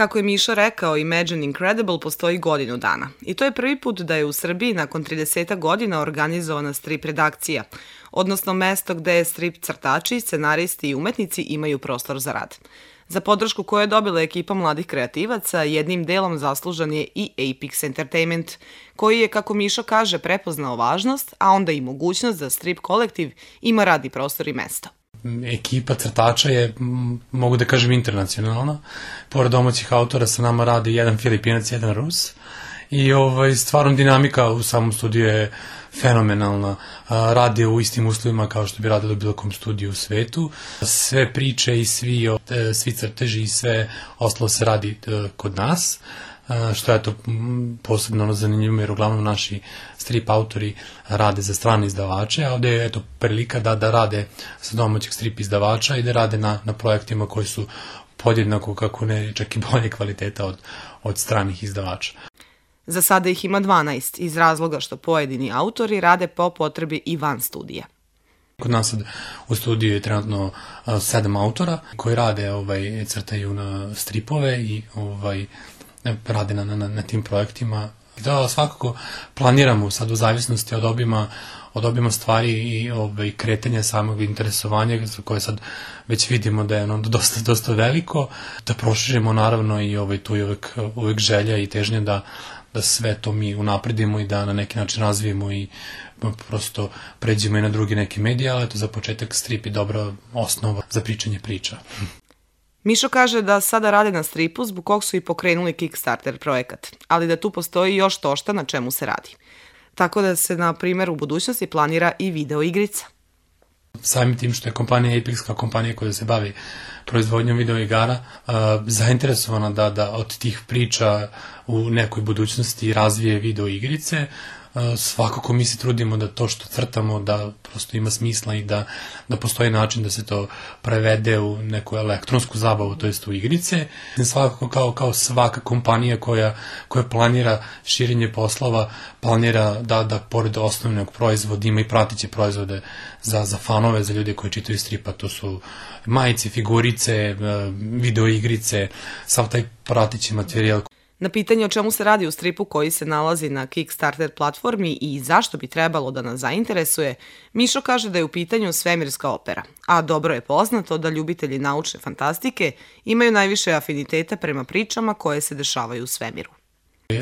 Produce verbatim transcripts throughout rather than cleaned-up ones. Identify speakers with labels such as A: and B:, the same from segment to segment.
A: Kako je Miša rekao, Imagine Incredible postoji godinu dana. I to je prvi put da je u Srbiji nakon trideset godina organizovana strip redakcija, odnosno mesto gde strip crtači, scenaristi i umetnici imaju prostor za rad. Za podršku koju je dobila ekipa mladih kreativaca, jednim delom zaslužan je i Apex Entertainment, koji je, kako Miša kaže, prepoznao važnost, a onda i mogućnost da strip kolektiv ima radni prostor i mesto.
B: Ekipa crtača je, mogu da kažem, internacionalna. Pored domaćih autora sa nama radi jedan Filipinac, jedan Rus. I ovaj, stvarno dinamika u samom studiju je fenomenalna. Radi u istim uslovima kao što bi radilo bilo kom studiju u svetu. Sve priče i svi, svi crteži i sve ostalo se radi kod nas, što je to posebno zanimljivo jer uglavnom naši strip autori rade za strane izdavače, a ovde je eto prilika da, da rade sa domaćih strip izdavača i da rade na, na projektima koji su podjednako, kako ne, čak i bolje kvaliteta od, od stranih izdavača.
A: Za sada ih ima dvanaest, iz razloga što pojedini autori rade po potrebi i van studija.
B: Kod nas sad u studiju je trenutno sedam autora koji rade, ovaj, crtaju na stripove i ovaj, rade na, na, na tim projektima. Da, svakako planiramo sad u zavisnosti od obima, od obima stvari i ovaj, kretanja samog interesovanja za koje sad već vidimo da je ono dosta, dosta veliko, da proširimo naravno i ovaj, tu je uvek, uvek želja i težnja da, da sve to mi unapredimo i da na neki način razvijemo i prosto pređemo i na drugi neke medije, ali eto za početak strip je dobra osnova za pričanje priča.
A: Mišo kaže da sada rade na stripu zbog kog su i pokrenuli Kickstarter projekat, ali da tu postoji još tošta na čemu se radi. Tako da se, na primjer, u budućnosti planira i video igrica.
B: Samim tim što je kompanija Apex kao kompanija koja se bavi proizvodnjom video igara uh, zainteresovana da, da od tih priča u nekoj budućnosti razvije video igrice, uh, svakako mi se trudimo da to što crtamo da prosto ima smisla i da, da postoji način da se to prevede u neku elektronsku zabavu, to jest u igrice. Svakako kao, kao svaka kompanija koja, koja planira širenje poslova, planira da, da pored osnovnog proizvoda ima i pratiće proizvode za, za fanove, za ljude koji čitaju stripa, to su majice, figurice, video igrice, sav taj pratići materijal.
A: Na pitanje o čemu se radi u stripu koji se nalazi na Kickstarter platformi i zašto bi trebalo da nas zainteresuje, Mišo kaže da je u pitanju svemirska opera, a dobro je poznato da ljubitelji naučne fantastike imaju najviše afiniteta prema pričama koje se dešavaju u svemiru.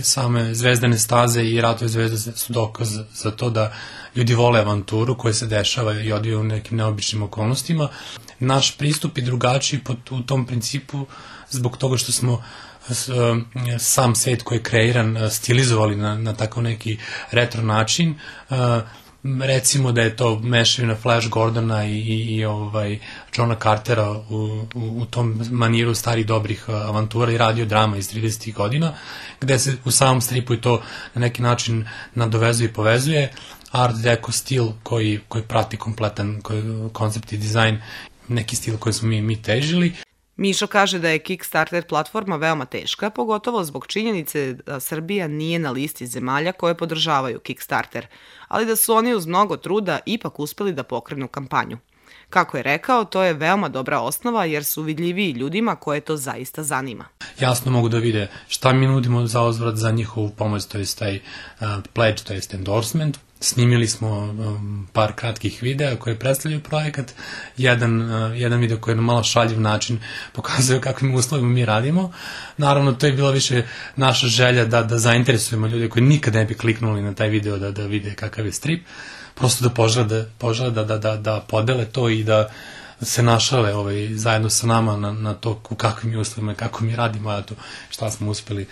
B: Same Zvezdane staze i Ratove zvezde su dokaz za to da ljudi vole avanturu koja se dešava i odvija u nekim neobičnim okolnostima. Naš pristup je drugačiji u tom principu zbog toga što smo sam svet koji je kreiran stilizovali na, na tako neki retro način. Recimo da je to mešavina Flash Gordona i, i, i ovaj Johna Cartera u, u, u tom maniru starih dobrih avantura i radio drama iz tridesetih godina, gde se u samom stripu i to na neki način nadovezuje i povezuje. Art deco stil koji, koji prati kompletan koji, koncept i dizajn, neki stil koji smo mi, mi težili.
A: Mišo kaže da je Kickstarter platforma veoma teška, pogotovo zbog činjenice da Srbija nije na listi zemalja koje podržavaju Kickstarter, ali da su oni uz mnogo truda ipak uspeli da pokrenu kampanju. Kako je rekao, to je veoma dobra osnova jer su vidljiviji ljudima koje to zaista zanima.
B: Jasno mogu da vide šta mi nudimo za uzvrat za njihovu pomoć, to je taj uh, pledge, to je endorsement. Snimili smo um, par kratkih videa koje predstavljaju projekat. Jedan, uh, jedan video koji je na malo šaljiv način pokazuje kakvim uslovima mi radimo. Naravno, to je bila više naša želja da, da zainteresujemo ljude koji nikad ne bi kliknuli na taj video da, da vide kakav je strip. Prosto da požele, požele da, da, da, da podele to i da se našale ovaj, zajedno sa nama na, na to u kakvim uslovima, kako mi radimo, a to šta smo uspeli.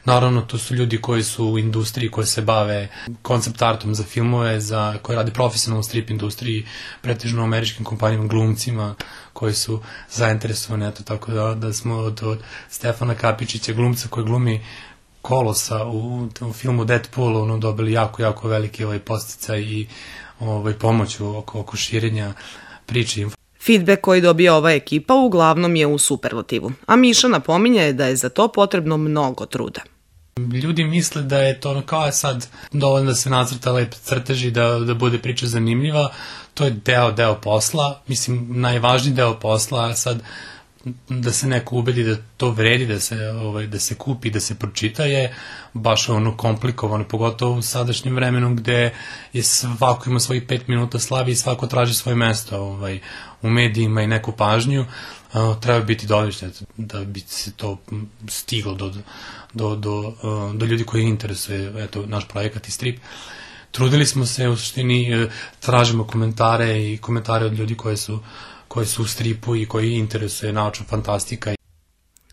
B: Naravno, to su ljudi koji su u industriji, koji se bave koncept artom za filmove, za, koji rade profesionalno u strip industriji, pretežno u američkim kompanijama, glumcima koji su zainteresovani, eto tako da, da smo od, od Stefana Kapičića, glumca koji glumi Kolosa u, u filmu Deadpool, ono, dobili jako, jako veliki ovaj podsticaj i ovaj, pomoć oko, oko širenja priče.
A: Feedback koji dobija ova ekipa uglavnom je u superlativu, a Miša napominje da je za to potrebno mnogo truda.
B: Ljudi misle da je to kao je sad dovoljno da se nacrta lep crtež i da, da bude priča zanimljiva. To je deo, deo posla, mislim najvažniji deo posla, a sad da se neko ubedi da to vredi, da se, ovaj, da se kupi, da se pročita je baš ono komplikovano, pogotovo u sadašnjem vremenu gde je svako ima svojih pet minuta slavi i svako traži svoje mesto ovaj, u medijima i neku pažnju. Uh, treba biti dovoljno da bi se to stiglo do, do, do, uh, do ljudi koji interesuje eto, naš projekat i strip. Trudili smo se, u suštini tražimo komentare i komentare od ljudi koji su, koji su u stripu i koji interesuje naučna fantastika.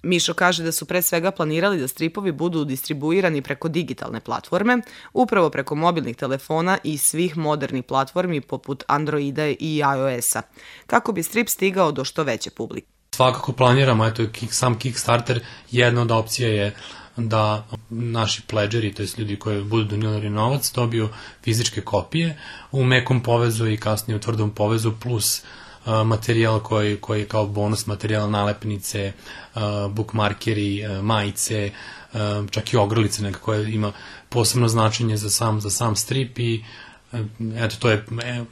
A: Mišo kaže da su pre svega planirali da stripovi budu distribuirani preko digitalne platforme, upravo preko mobilnih telefona i svih modernih platformi poput Androida i iOS-a, kako bi strip stigao do što veće publike.
B: Svakako planiramo, eto, sam Kickstarter, jedna od opcija je da naši pledžeri, to je ljudi koji budu donirali novac, dobiju fizičke kopije u mekom povezu i kasnije u tvrdom povezu, plus uh, materijal koji, koji je kao bonus materijal, nalepnice, uh, bookmarkeri, uh, majice, uh, čak i ogrlice neka koja ima posebno značenje za sam, za sam strip i uh, eto, to je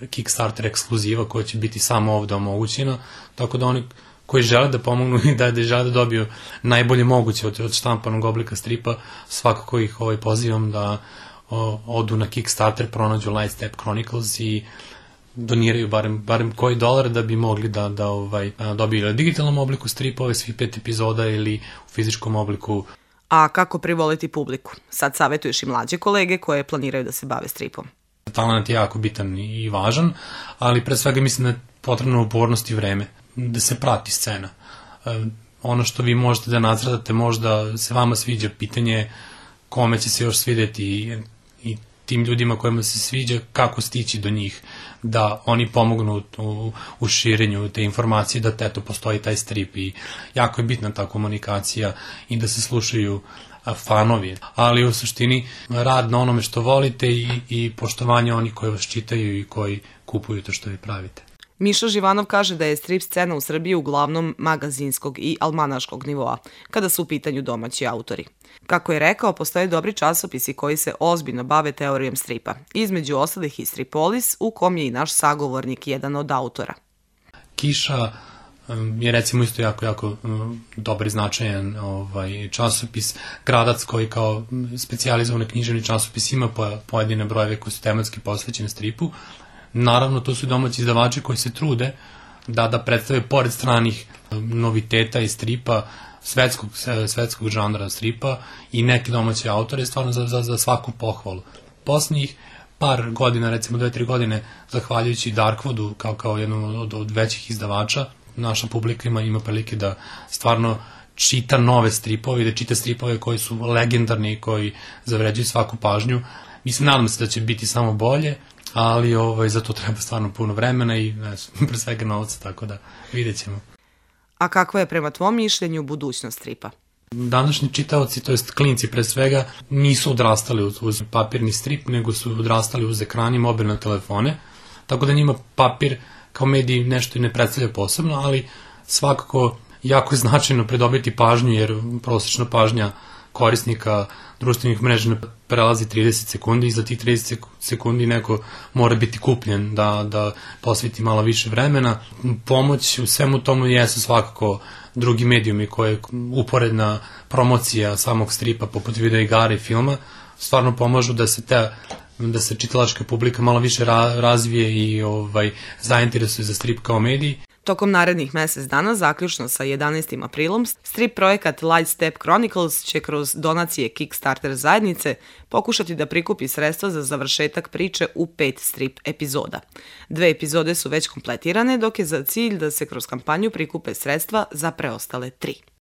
B: Kickstarter ekskluziva koja će biti samo ovde omogućena, tako da oni koji žele da pomognu i da, da žele da dobiju najbolje moguće od, od štampanog oblika stripa, svakako ih ovaj, pozivam da o, odu na Kickstarter, pronađu Lightstep Chronicles i doniraju barem, barem koji dolar da bi mogli da, da ovaj, dobiju ili u digitalnom obliku stripove svih pet epizoda ili u fizičkom obliku.
A: A kako privoliti publiku? Sad savjetuješ i mlađe kolege koje planiraju da se bave stripom.
B: Talent je jako bitan i važan, ali pre svega mislim da je potrebna upornost i vreme, da se prati scena. E, ono što vi možete da nacrtate, možda se vama sviđa, pitanje kome će se još svideti i, i tim ljudima kojima se sviđa, kako stići do njih, da oni pomognu u, u širenju te informacije, da teto postoji taj strip i jako je bitna ta komunikacija i da se slušaju fanovi, ali u suštini rad na onome što volite i, i poštovanje onih koji vas čitaju i koji kupuju to što vi pravite.
A: Mišo Živanov kaže da je strip scena u Srbiji uglavnom magazinskog i almanaškog nivoa, kada su u pitanju domaći autori. Kako je rekao, postoje dobri časopisi koji se ozbiljno bave teorijom stripa, između ostalih i Stripolis, u kom je i naš sagovornik jedan od autora.
B: Kiša je recimo isto jako, jako dobar i značajan ovaj, časopis. Gradac koji kao specijalizovan književni časopis ima pojedine brojeve koji su tematski posvećeni stripu. Naravno, to su domaći izdavači koji se trude da, da predstave pored stranih noviteta i stripa, svetskog, svetskog žanra stripa i neke domaće autore, stvarno za, za, za svaku pohvalu. Poslednjih par godina, recimo dve, tri godine, zahvaljujući Darkwoodu kao, kao jednom od, od većih izdavača, naša publika ima, ima prilike da stvarno čita nove stripove i da čita stripove koji su legendarni i koji zavređuju svaku pažnju. Mislim, nadam se da će biti samo bolje, ali ovaj, za to treba stvarno puno vremena i ne, pre svega novca, tako da vidjet ćemo.
A: A kakva je prema tvom mišljenju budućnost stripa?
B: Današnji čitaoci, to jest klinci pre svega, nisu odrastali uz, uz papirni strip, nego su odrastali uz ekrani i mobilne telefone, tako da njima papir kao medij nešto i ne predstavlja posebno, ali svakako jako je značajno pridobiti pažnju, jer prosečna pažnja korisnika društvenih mreža prelazi trideset sekundi i za tih trideset sekundi neko mora biti kupljen da, da posveti malo više vremena. Pomoć u svemu tomu jesu svakako drugi medijumi koje je uporedna promocija samog stripa poput videoigara i filma, stvarno pomažu da se te da se čitalačka publika malo više ra, razvije i ovaj, zainteresuje za strip kao medij.
A: Tokom narednih mesec dana, zaključno sa jedanaestim aprilom, strip projekat Lightstep Chronicles će kroz donacije Kickstarter zajednice pokušati da prikupi sredstva za završetak priče u pet strip epizoda. Dve epizode su već kompletirane, dok je za cilj da se kroz kampanju prikupe sredstva za preostale tri.